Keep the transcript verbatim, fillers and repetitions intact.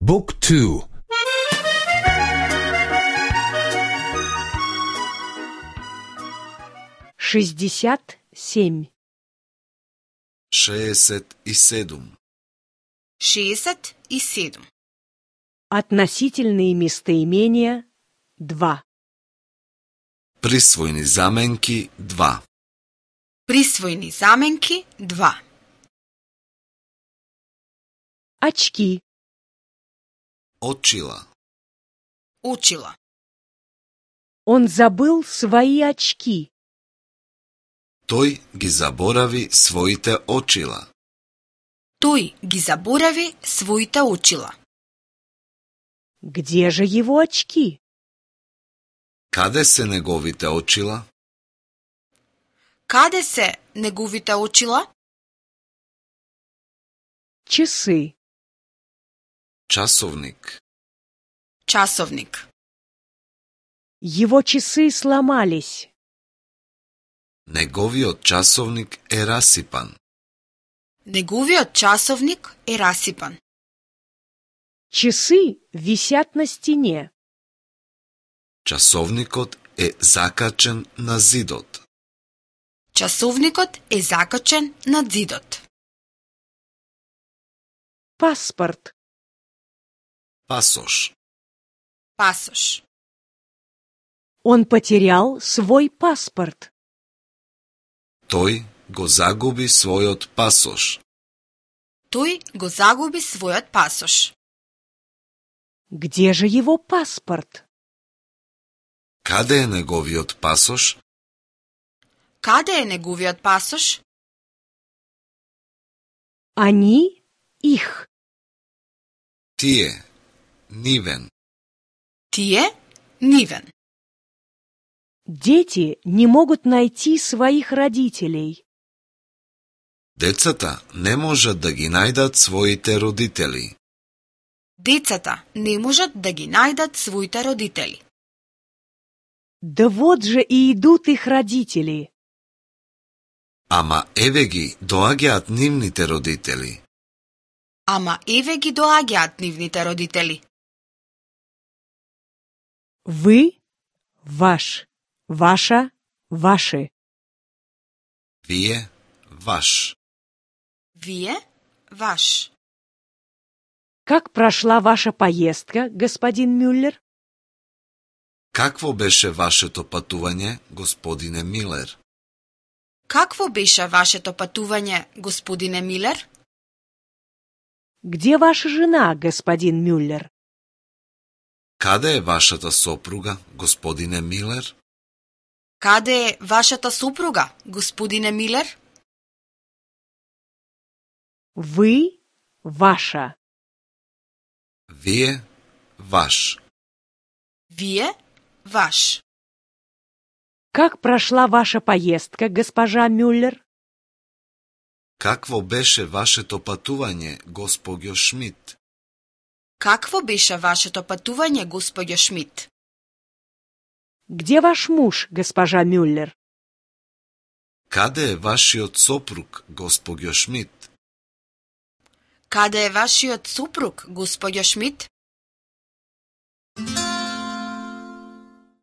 Book two. шестьдесят семь. шеесет и седум. шеесет и седум. Относительные местоимения два. Присвојни заменки два. Присвојни заменки два. Очки. Очила. Очила. Он забыл свои очки. Тој ги заборави своите очила. Тој ги заборави своите очила. Где же его очки? Каде се неговите очила? Каде се неговите очила? Часы. Часовник. Часовник. Его часы сломались. Неговиот часовник е расипан. Неговиот часовник е расипан. Часы висят на стене. Часовникот е закачен на зидот. Часовникот е закачен на зидот. Паспорт. Пасош. Пасош. Он потерял свой паспорт. Тој го загуби својот пасош. Тој го загуби својот пасош. Где же его паспорт? Каде е неговиот пасош? Каде е неговиот пасош? Они их. Тие. Нивен. Тие нивен. Дети не могут найти своих родителей. Децата не можат да ги најдат своите родители. Децата не можат да ги најдат своите родители. Да вот же и идут их родители. Ама еве ги доаѓаат нивните родители. Ама еве ги доаѓаат нивните родители. Вы, ваш, ваша, ваши. Вие, ваш. Вие, ваш. Как прошла ваша поездка, господин Мюллер? Какво беше вашето патување, господине Милер? Какво беше вашето патување, господине Милер? Где ваша жена, господин Мюллер? Каде е вашата сопруга, господине Милер? Каде е вашата супруга, господине Милер? Вы, ваша. Вие, ваш. Вие, ваш. Как прошла ваша поездка, госпожа Мюллер? Какво беше вашето патување, госпоѓо Шмидт? Какво беше вашето патување, господјо Шмидт? Где ваш муж, госпожа Мюллер? Каде е вашиот сопруг, госпоѓо Шмидт? Каде е вашиот супруг, господјо Шмидт?